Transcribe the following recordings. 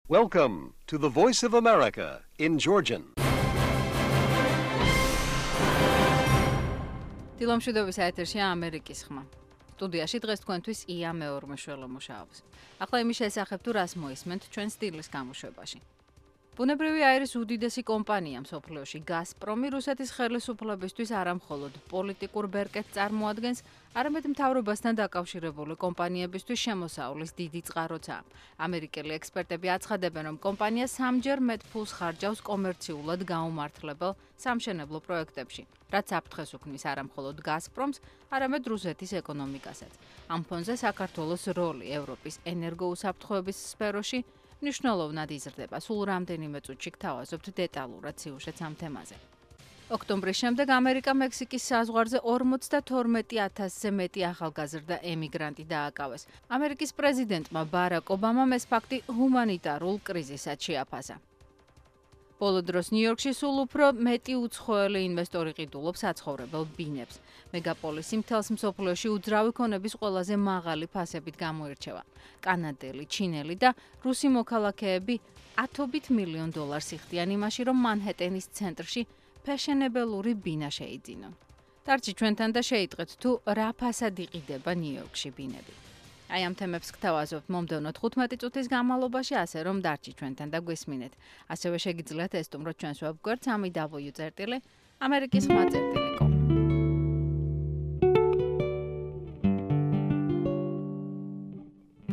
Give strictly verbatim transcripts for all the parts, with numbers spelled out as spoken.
Welcome to the Voice of America in Georgian. დილომშვიდობის ეთერშია ამერიკის ხმა. სტუდიაში დღეს თქვენთვის ია მეორმეშველო მუშაობს. ახლა იმის შესახებ თუ რას მოისმენთ ჩვენ სტილის გამოშვებაში. ბუნებრივი აირის უდიდესი კომპანია მსოფლიოში გაზპრომი რუსეთის ხელისუფლებისთვის არამხოლოდ პოლიტიკურ ბერკეტს წარმოადგენს, არამედ მთავრობასთან დაკავშირებული კომპანიებისთვის შემოსავლის დიდი წყაროცა. ამერიკელი ექსპერტები აცხადებენ, რომ კომპანია სამჯერ მეტ ფულს ხარჯავს კომერციულად გაუმართლებელ სამშენებლო პროექტებში, რაც საფრთხეს უქმნის არამხოლოდ გაზპრომს, არამედ რუსეთის ეკონომიკასაც. ამ ფონზე საქართველოს როლი ევროპის ენერგოუსაფრთხოების სფეროში მნიშვნელოვნად იზრდება. სულ რამდენიმე წუთში გთავაზობთ დეტალურად სიუჟეტს ამ თემაზე. ოქტომბრის შემდეგ ამერიკა მექსიკის საზღვარზე ორმოცდათორმეტი ათასზე მეტი ახალგაზრდა ემიგრანტი დააკავეს. ამერიკის პრეზიდენტმა ბარაკ ობამამ ეს ფაქტი ჰუმანიტარულ კრიზისად შეაფასა. ბოლო დროს ნიუ-იორკში სულ უფრო მეტი უცხოელი ინვესტორი ყიდულობს საცხოვრებელ ბინებს. მეგაპოლისი მთელს მსოფლიოში უძრავი ქონების ყველაზე მაღალი ფასებით გამოირჩევა. კანადელი, ჩინელი და რუსი მოქალაქეები ათობით მილიონ დოლარს იხდიან იმაში, რომ მანჰეტენის ცენტრში ფეშენებელური ბინა შეიძინონ. დარჩი ჩვენთან და შეიტყვეთ თუ რა ფასად იყიდება ნიუ-იორკში ბინები. აი ამ თემებს გთავაზობთ მომდევნო თხუთმეტი წუთის განმავლობაში, ასე რომ დარჩი ჩვენთან და გვესმინეთ. ასევე შეგიძლიათ ესტუმროთ ჩვენს ვებგვერდს ამი დაბლიუ წერტილი ამერიკის ხმა წერტილი კომ.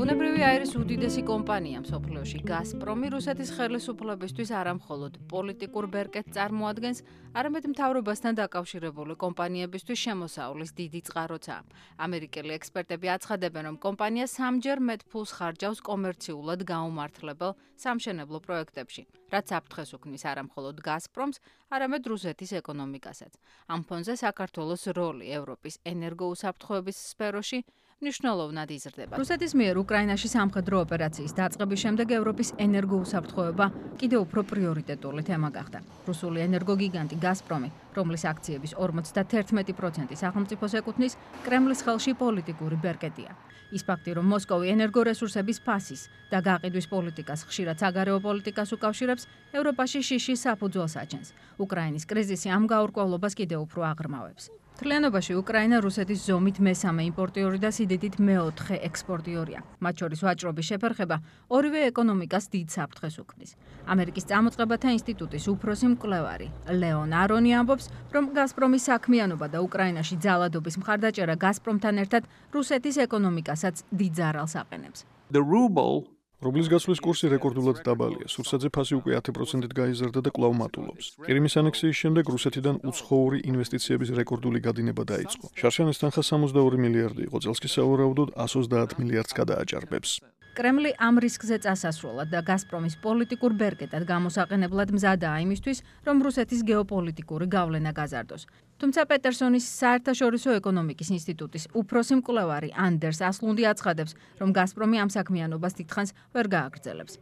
ბუნებრივი აირის უდიდესი კომპანია მსოფლიოში გაზპრომი რუსეთის ხელისუფლებისთვის არამხოლოდ პოლიტიკურ ბერკეტს წარმოადგენს, არამედ მთავრობასთან დაკავშირებული კომპანიებისთვის შემოსავლის დიდი წყაროცა. ამერიკელი ექსპერტები აცხადებენ, რომ კომპანია სამჯერ მეტ ფულს ხარჯავს კომერციულად გაუმართლებელ სამშენებლო პროექტებში, რაც საფრთხეს უქმნის არამხოლოდ გაზპრომს, არამედ რუსეთის ეკონომიკასაც. ამ ფონზე საქართველოს როლი ევროპის ენერგოუსაფრთხოების სფეროში მნიშვნელოვნად იზრდება. რუსეთის მიერ უკრაინაში სამხედრო ოპერაციის დაწყების შემდეგ ევროპის ენერგოუსაფრთხოება კიდევ უფრო პრიორიტეტული თემა გახდა. რუსული ენერგოგიგანტი გაზპრომი, რომლის აქციების ორმოცდათერთმეტი პროცენტი სახელმწიფოს ეკუთვნის, კრემლის ხელში პოლიტიკური ბერკეტია. ის ფაქტი, რომ მოსკოვი ენერგორესურსების ფასის და გაყიდვის პოლიტიკას ხშირად საგარეო პოლიტიკას უკავშირებს, ევროპაში შიშის საფუძველს აჩენს. უკრაინის კრიზისი ამ გაურკვევლობას კიდევ უფრო აღრმავებს. მთლიანობაში უკრაინა რუსეთის ზომით მესამე იმპორტიორი და სიდიდით მეოთხე ექსპორტიორია. მათ შორის ვაჭრობის შეფერხება ორივე ეკონომიკას დიდ საფრთხეს უქმნის. ამერიკის წამოწყებათა ინსტიტუტის უფროსი მკვლევარი ლეონ არონი ამბობს, რომ გაზპრომის საქმიანობა და უკრაინაში ძალადობის მხარდაჭერა გაზპრომთან ერთად რუსეთის ეკონომიკასაც დიდ ზარალს აყენებს. The ruble რუბლის გაცვლის კურსი რეკორდულად დაბალია. სურსათზე ფასი უკვე ათი პროცენტით გაიზარდა და კვლავ მატულობს. კრიმის ანექსიის შემდეგ რუსეთიდან უცხოური ინვესტიციების რეკორდული გადინება დაიწყო. შარშანის თანხა სამოცდაორი მილიარდი იყო, წელს კი სავარაუდოდ εκατს ოცდაათ მილიარდს გადააჭარბებს. კრემლი ამ რისკზე წასასვლელად და გაზპრომის პოლიტიკურ ბერკეტად გამოსაყენებლად მზადაა იმისთვის, რომ რუსეთის გეოპოლიტიკური გავლენა გაზარდოს. თუმცა პეტერსონის საერთაშორისო ეკონომიკის ინსტიტუტის უფროსი მკვლევარი ანდერს ასლუნდი აცხადებს, რომ გაზპრომი ამ საქმიანობას დიდხანს ვერ გააგრძელებს.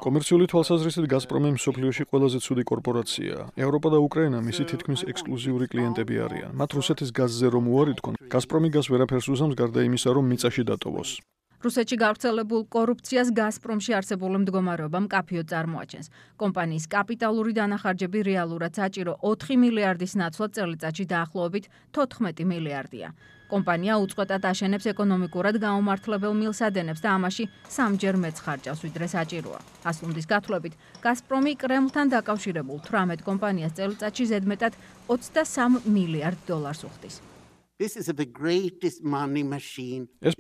კომერციული თვალსაზრისით გაზპრომი მსოფლიოში ყველაზე ცუდი კორპორაციაა. ევროპა და უკრაინა მისი თითქმის ექსკლუზიური კლიენტები არიან. მათ რუსეთის გაზზე რომ უარი თქვონ, გაზპრომი გაზ ვერაფერს უსამს გარდა იმისა, რომ მიწაში დატოვოს. რუსეთში გავრცელებულ კორუფციას გაზპრომში არსებული მდგომარეობა მკაფიოდ წარმოაჩენს. კომპანიის კაპიტალური დანახარჯები რეალურად საჭირო ოთხი მილიარდის ნაცვლად წელიწადში დაახლოებით თოთხმეტი მილიარდია. კომპანია უწყვეტად აშენებს ეკონომიკურად გაუმართლებელ მილსადენებს და ამაში სამჯერ მეტს ხარჯავს, ვიდრე საჭიროა. ასლუნდის გათვლებით, გაზპრომი კრემლთან დაკავშირებულ თვრამეტ კომპანიას წელიწადში ზედმეტად ოცდასამ მილიარდ დოლარს უხდის. ეს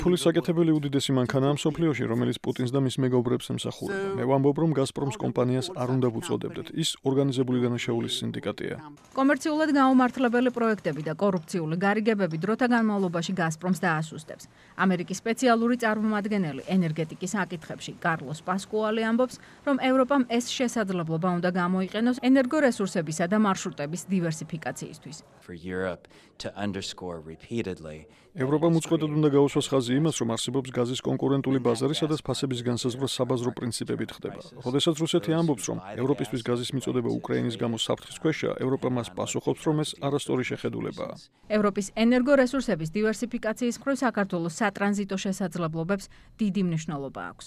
ფულის საკეთებელი უდიდესი მანქანაა მსოფლიოში, რომელიც პუტინს და მის მეგობრებს ემსახურება. მე ვამბობ, რომ გაზპრომს კომპანიას არ უნდა ვუწოდებდეთ. ის ორგანიზებული დანაშაულის სინდიკატია. კომერციულად გაუმართლებელი პროექტები და კორუფციული გარიგებები დროთა განმავლობაში გაზპრომს დაასუსტებს. ამერიკის სპეციალური წარმომადგენელი ენერგეტიკის საკითხებში კარლოს პასკუალი ამბობს, რომ ევროპამ ეს შესაძლებლობა უნდა გამოიყენოს ენერგორესურსებისა და მარშრუტების დივერსიფიკაციისთვის. For Europe to underscore repeatedly ევროპამ უწყვეტად უნდა გაუსვას ხაზი იმას, რომ არსებობს გაზის კონკურენტული ბაზარი, სადაც ფასების განსაზღვრა საბაზრო პრინციპებით ხდება. როდესაც რუსეთი ამბობს, რომ ევროპისთვის გაზის მიწოდება უკრაინის გამო საფრთხის ქვეშია, ევროპა მას პასუხობს, რომ ეს არასწორი შეხედულებაა. ევროპის ენერგორესურსების დივერსიფიკაციის მხრივ საქართველოს სატრანზიტო შესაძლებლობებს დიდი მნიშვნელობა აქვს.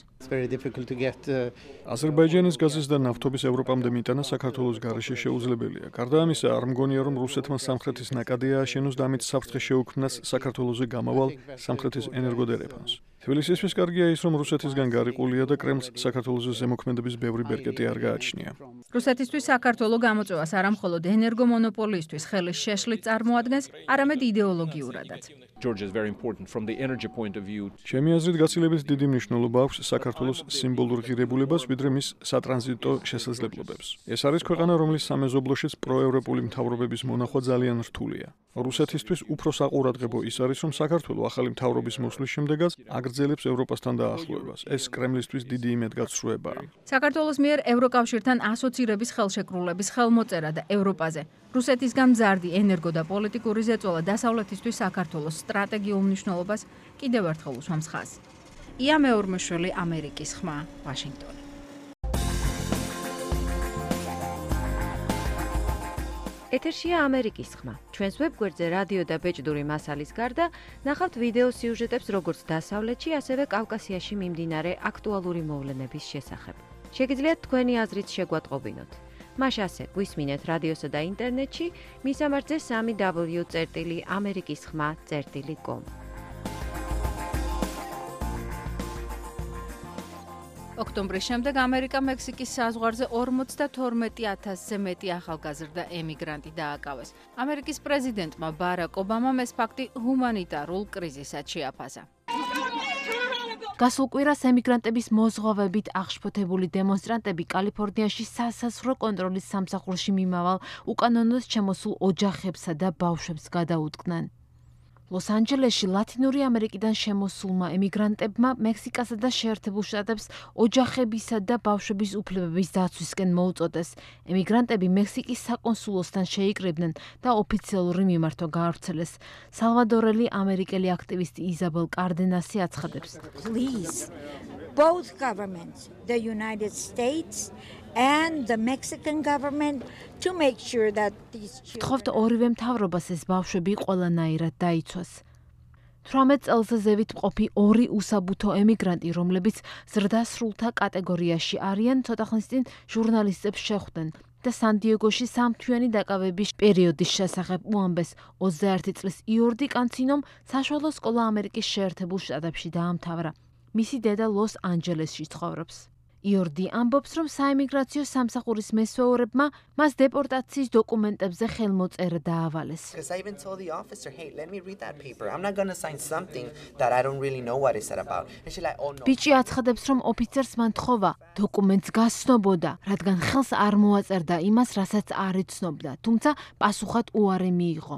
აზერბაიჯანის გაზის და ნავთობის ევროპამდე მიტანა საქართველოს გარეშე შეუძლებელია. გარდა ამისა, არ მგონია, რომ რუსეთმა სამხრეთის ნაკადი ააშენოს და ამით საფრთხე შეუქმნას საქართველოს გამავალ სამხრეთის ენერგოდერეფანს. თბილისისთვის კარგია ის, რომ რუსეთისგან გარიყულია და კრემლს საქართველოს ზემოქმედების ბევრი ბერკეტი არ გააჩნია. რუსეთისთვის საქართველოს გამოწვევას არა მხოლოდ ენერგომონოპოლიისთვის ხელის შეშლით წარმოადგენს, არამედ იდეოლოგიურადაც. ჩემი აზრით, გაცილებით დიდი მნიშვნელობა აქვს საქართველოს სიმბოლურ ღირებულებას, ვიდრე მის სატრანზიტო შესაძლებლობებს. ეს არის ქვეყანა, რომლის სამეზობლოშიც პროევროპული მთავრობების მონახვა ძალიან რთულია. რუსეთისთვის უფრო საყურადღებო ის არის, რომ საქართველოს ახალი მთავრობის მოსვლის შემდეგაც აგრძელებს ევროპასთან დაახლოებას. ეს კრემლისთვის დიდი იმედგაცრუებაა. საქართველოს მიერ ევროკავშირთან ასოცირების ხელშეკრულების ხელმოწერა და ევროპაზე რუსეთისგან მზარდი ენერგო და პოლიტიკური ზეწოლა დასავლეთისთვის საქართველოს სტრატეგიულ მნიშვნელობას კიდევ ერთხელ უსვამს ხაზს. ია მეორმოშვილი, ამერიკის ხმა, ვაშინგტონი. ეთერშია ამერიკის ხმა. ჩვენს ვებგვერდზე რადიო და ბეჭდური მასალის გარდა ნახავთ ვიდეო სიუჟეტებს როგორც დასავლეთში, ასევე კავკასიაში მიმდინარე აქტუალური მოვლენების შესახებ. შეგიძლიათ თქვენი აზრით შეგვატყობინოთ. მას ასე გვისმინეთ რადიოსა და ინტერნეტში, მისამართზე სამი დაბლიუ წერტილი ამერიკის ხმა წერტილი კომ. ოქტომბრის შემდეგ ამერიკა მექსიკის საზღვარზე ორმოცდათორმეტი ათასზე მეტი ახალგაზრდა ემიგრანტი დააკავეს. ამერიკის პრეზიდენტმა ბარაკ ობამამ ეს ფაქტი ჰუმანიტარულ კრიზისად შეაფასა. გასულ კვირას ემიგრანტების მოზღვავებით აღშფოთებული დემონსტრანტები კალიფორნიაში სასაზღვრო კონტროლის სამსახურში მიმავალ უკანონოდ შემოსულ ოჯახებსა და ბავშვებს გადაუდგნენ. ლოს-ანჯელესში ლათინური ამერიკიდან შემოსულმა ემიგრანტებმა მექსიკასა და შეერთებულ შტატებს ოჯახებისა და ბავშვების უფლებების დაცვისკენ მოუწოდეს. ემიგრანტები მექსიკის საკონსულოსთან შეიკრიბნენ და ოფიციალური მიმართვა გაავრცელეს. სალვადორელი ამერიკელი აქტივისტი იზაბელ კარდენასი აცხადებს. Please, both governments, the United States and the Mexican government, to make sure that these children... ვთხოვთ ორივე მთავრობას ეს ბავშვები ყველანაირად დაიცვას. თვრამეტ წელზე ზევით მყოფი ორი უსაბუთო ემიგრანტი, რომლებიც ზრდასრულთა კატეგორიაში არიან, ცოტა ხნის წინ ჟურნალისტებს შეხვდნენ და სან-დიეგოში სამთვიანი დაკავების პერიოდის შესახებ უამბეს. ოცდაერთი წლის იორდი კანცინომ საშუალო სკოლა ამერიკის შეერთებულ შტატებში დაამთავრა. მისი დედა ლოს-ანჯელესში ცხოვრობს. იორდი ამბობს, რომ საიმიგრაციო სამსახურის მესვეურებმა მას დეპორტაციის დოკუმენტებზე ხელმოწერა დაავალეს. ბიჭი აცხადებს, რომ ოფიცერს მან თხოვა დოკუმენტს გასცნობოდა, რადგან ხელს არ მოაწერდა იმას, რასაც არ იცნობდა, თუმცა პასუხად უარი მიიღო.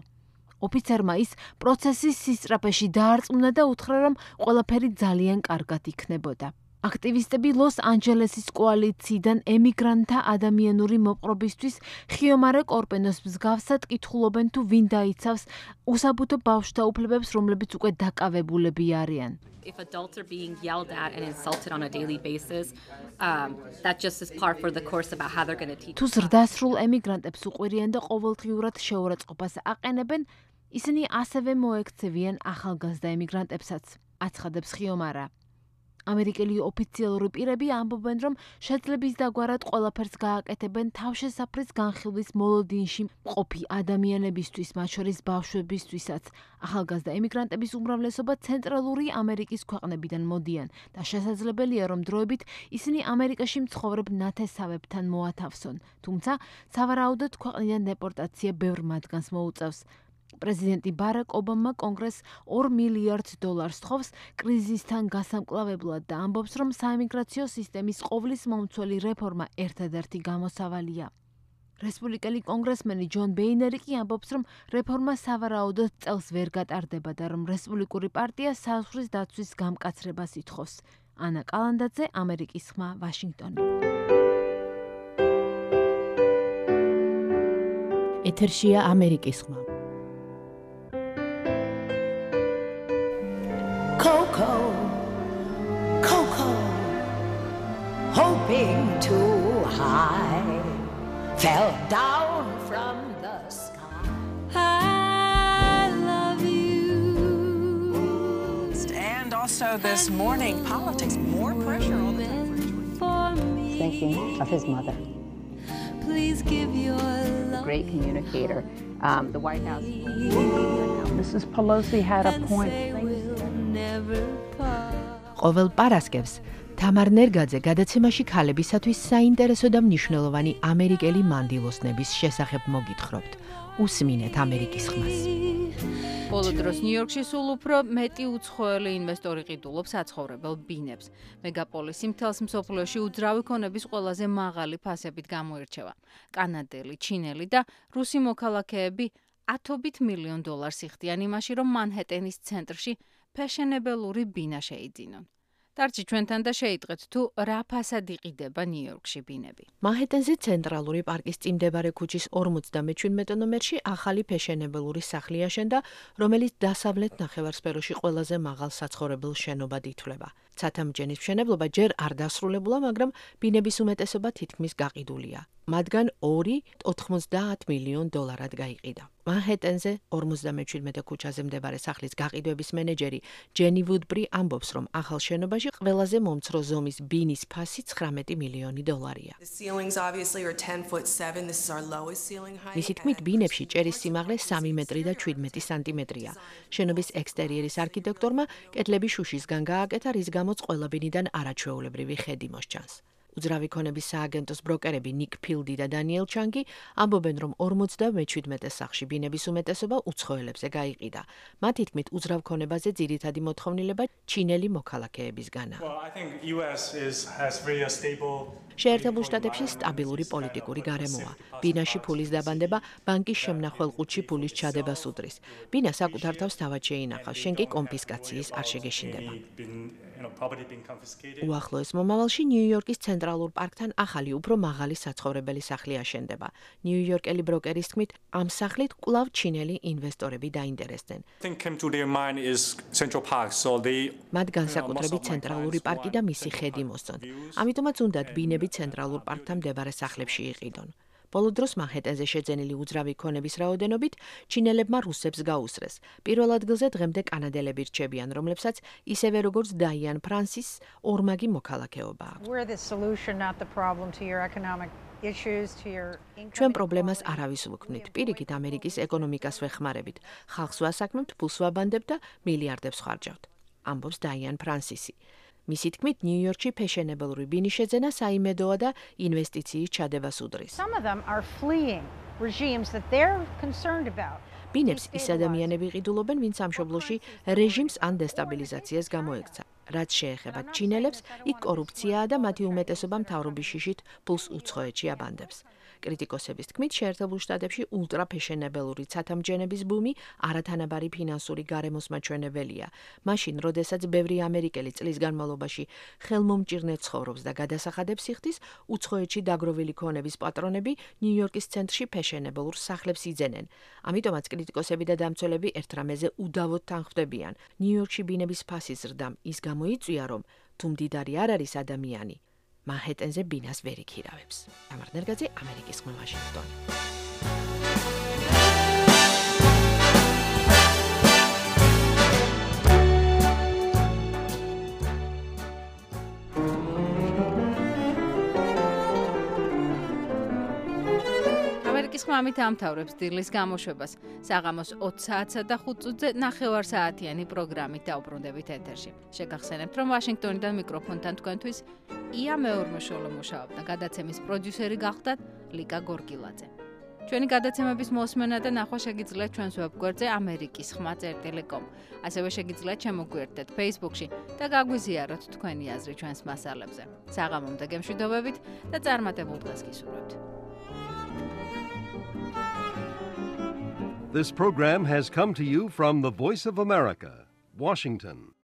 ოფიცერმა ის პროცესის სისწრაფეში დაარწმუნა და უთხრა, რომ ყველაფერი ძალიან კარგად იქნებოდა. აქტივისტები ლოს-ანჯელესის კოალიციიდან ემიგრანტთა ადამიანური მოპყრობისთვის ხიომარე კორპენოს მსგავსად კითხულობენ, თუ ვინ დაიცავს უსაბუთო ბავშვთა უფლებებს, რომლებიც უკვე დაკავებულები არიან. If adults are being yelled at and insulted on a daily basis, um, that just is par for the course about how they're going to teach. თუ ზრდასრულ ემიგრანტებს უყვირიან და ყოველდღიურად შეურაცხყოფას აყენებენ, ისინი ასევე მოექცევიან ახალგაზრდა ემიგრანტებსაც, აცხადებს ხიომარა. ამერიკელი ოფიციალური პირები ამბობენ, რომ შეძლების დაგვარად ყველაფერს გააკეთებენ თავშესაფრის განხილვის მოლოდინში მყოფი ადამიანებისთვის, მათ შორის ბავშვებისთვისაც. ახალგაზრდა ემიგრანტების უმრავლესობა ცენტრალური ამერიკის ქვეყნებიდან მოდიან და შესაძლებელია, რომ დროებით ისინი ამერიკაში მცხოვრებ ნათესავებთან მოათავსონ. თუმცა, სავარაუდოდ ქვეყნიდან დეპორტაცია ბევრ მათგანს მოუწევს. პრეზიდენტი ბარაკ ობამა კონგრესს ორ მილიარდ დოლარს თხოვს კრიზისთან გასამკლავებლად და ამბობს, რომ საიმიგრაციო სისტემის ყოვლის მომცველი რეფორმა ერთადერთი გამოსავალია. რესპუბლიკელი კონგრესმენი ჯონ ბეინერი კი ამბობს, რომ რეფორმა სავარაუდოდ წელს ვერ გატარდება და რომ რესპუბლიკური პარტია საზღვრის დაცვის გამკაცრებას ითხოვს. ანა კალანდაძე, ამერიკის ხმა, ვაშინგტონი. ეთერშია ამერიკის ხმა. jumping too high, fell down from the sky. I love you. And also this morning, politics, more pressure all the time for George. Thinking of his mother. Please give your love. Great communicator. Um, the White House. Missus Pelosi had a point. ყოველ პარასკევს თამარ ნერგაძე გადაცემაში ქალებისათვის საინტერესო და მნიშვნელოვანი ამერიკელი მანდილოსნების შესახებ მოგითხრობთ. უსმინეთ ამერიკის ხმას. ბოლო დროს ნიუ-იორკში სულ უფრო მეტი უცხოელი ინვესტორი ყიდულობს საცხოვრებელ ბინებს. მეგაპოლისი მთელს მსოფლიოში უძრავი ქონების ყველაზე მაღალი ფასებით გამოირჩევა. კანადელი, ჩინელი და რუსი მოქალაქეები ათობით მილიონ დოლარს იხდიან იმაში, რომ მანჰეტენის ცენტრში ფეშენებელური ბინა შეიძინონ. დარჩი ჩვენთან და შეიტყვეთ თუ რა ფასად იყიდება ნიუ-იორკში ბინები. მანჰეტენზე ცენტრალური პარკის წინ მდებარე ქუჩის ორმოცდამეჩვიდმეტე ნომერში ახალი ფეშენებელური სახლი აშენდა, რომელიც დასავლეთ ნახევარსფეროში ყველაზე მაღალ საცხოვრებელ შენობად ითვლება. ცათამბჯენის მშენებლობა ჯერ არ დასრულებულა, მაგრამ ბინების უმეტესობა თითქმის გაყიდულია. მათგან ორი ოთხმოცდაათ მილიონ დოლარად გაიყიდა. მანჰეტენზე ორმოცდამეჩვიდმეტე ქუჩაზე მდებარე სახლის გაყიდვების მენეჯერი ჯენი ვუდბრი ამბობს, რომ ახალ შენობაში ყველაზე მომცრო ზომის ბინის ფასი ცხრამეტი მილიონი დოლარია. მისი თქმით, ბინებში ჭერის სიმაღლე სამი მეტრი და შვიდმეტი სანტიმეტრია. შენობის ექსტერიერის არქიტექტორმა კედლები შუშისგან გააკეთა, რის გამოც ყველა ბინიდან არაჩვეულებრივი ხედი მოსჩანს. უძრავი ქონების სააგენტოს ბროკერები ნიკ ფილდი და დანიელ ჩანგი ამბობენ, რომ ორმოცდამეჩვიდმეტე სახლში ბინების უმეტესობა უცხოელებზე გაიყიდა. მათი თქმით, უძრავ ქონებაზე ძირითადი მოთხოვნილება ჩინელი მოქალაქეებისგანაა. შეერთებულ შტატებში სტაბილური პოლიტიკური გარემოა. ბინაში ფულის დაბანდება ბანკის შემნახველ ყუთში ფულის ჩადებას უდრის. ბინა საკუთარ თავს თავად შეინახავს, შენ კი კონფისკაციის არ შეგეშინდება. უახლოეს მომავალში ნიუ-იორკის ცენტრალურ პარკთან ახალი, უფრო მაღალი საცხოვრებელი სახლი აშენდება. ნიუ-იორკელი ბროკერის თქმით, ამ სახლით კვლავ ჩინელი ინვესტორები დაინტერესდნენ. მათ განსაკუთრებით ცენტრალური პარკი და მისი ხედი მოსწონთ. ამიტომაც უნდათ ბინები ცენტრალურ პარკთან მდებარე სახლებში იყიდონ. ბოლო დროს მანჰეტენზე შეძენილი უძრავი ქონების რაოდენობით ჩინელებმა რუსებს გაუსწრეს. პირველ ადგილზე დღემდე კანადელები რჩებიან, რომლებსაც ისევე როგორც დაიან ფრანსის ორმაგი მოქალაქეობა აქვს. ჩვენ პრობლემას არავის ვუქმნით. პირიქით ამერიკის ეკონომიკას ვეხმარებით. ხალხს ვასაქმებთ, ფულს ვაბანდებთ და მილიარდებს ხარჯავთ. ამბობს დაიან ფრანსისი. მისი თქმით, ნიუ-იორკში ფეშენებელური ბინის შეძენა საიმედოა და ინვესტიციის ჩადებას უდრის. ბინებს ის ადამიანები ყიდულობენ, ვინც სამშობლოში რეჟიმს ან დესტაბილიზაციას გამოექცა. რაც შეეხება ჩინელებს, იქ კორუფციაა და მათი უმეტესობა მთავრობის შიშით ფულს უცხოეთში აბანდებს. კრიტიკოსების თქმით, შეერთებულ შტატებში ულტრაფეშენებელური ცათამბჯენების ბუმი არათანაბარი ფინანსური გარემოს მაჩვენებელია. მაშინ, როდესაც ბევრი ამერიკელი წლის განმავლობაში ხელმომჭირნე ცხოვრობს და გადასახადებს იხდის, უცხოეთში დაგროვილი ქონების პატრონები ნიუ-იორკის ცენტრში ფეშენებელურ სახლებს იძენენ. ამიტომაც კრიტიკოსები და დამცველები ერთ რამეზე უდავოდ თანხმდებიან. ნიუ-იორკში ბინების ფასის ზრდამ ის გამოიწვია, რომ თუ მდიდარი არ არის ადამიანი, მანჰეტენზე ბინას ვერ იქირავებს. თამარ ნერგაძე, ამერიკის ხმა, ვაშინგტონი. ამერიკის ხმა ამით ამთავრებს დილის გამოშვებას. საღამოს ოცი საათსა და ხუთ წუთზე ნახევარ საათიანი პროგრამით დაუბრუნდებით ეთერში. შეგახსენებთ, რომ ვაშინგტონიდან მიკროფონთან თქვენთვის ია მეორმოშოლო მუშაობდა. გადაცემის პროდიუსერი გახდათ ლიკა გორგილაძე. ჩვენი გადაცემების მოსმენა და ნახვა შეგიძლიათ ჩვენს ვებგვერდზე ამერიკის ხმა წერტილი კომ. ასევე შეგიძლიათ შემოგვიერთდეთ Facebook-ში და გაგვიზიაროთ თქვენი აზრი ჩვენს მასალებზე. საღამომდე გემშვიდობებით და წარმატებულ დღეს გისურვებთ. This program has come to you from the Voice of America, Washington.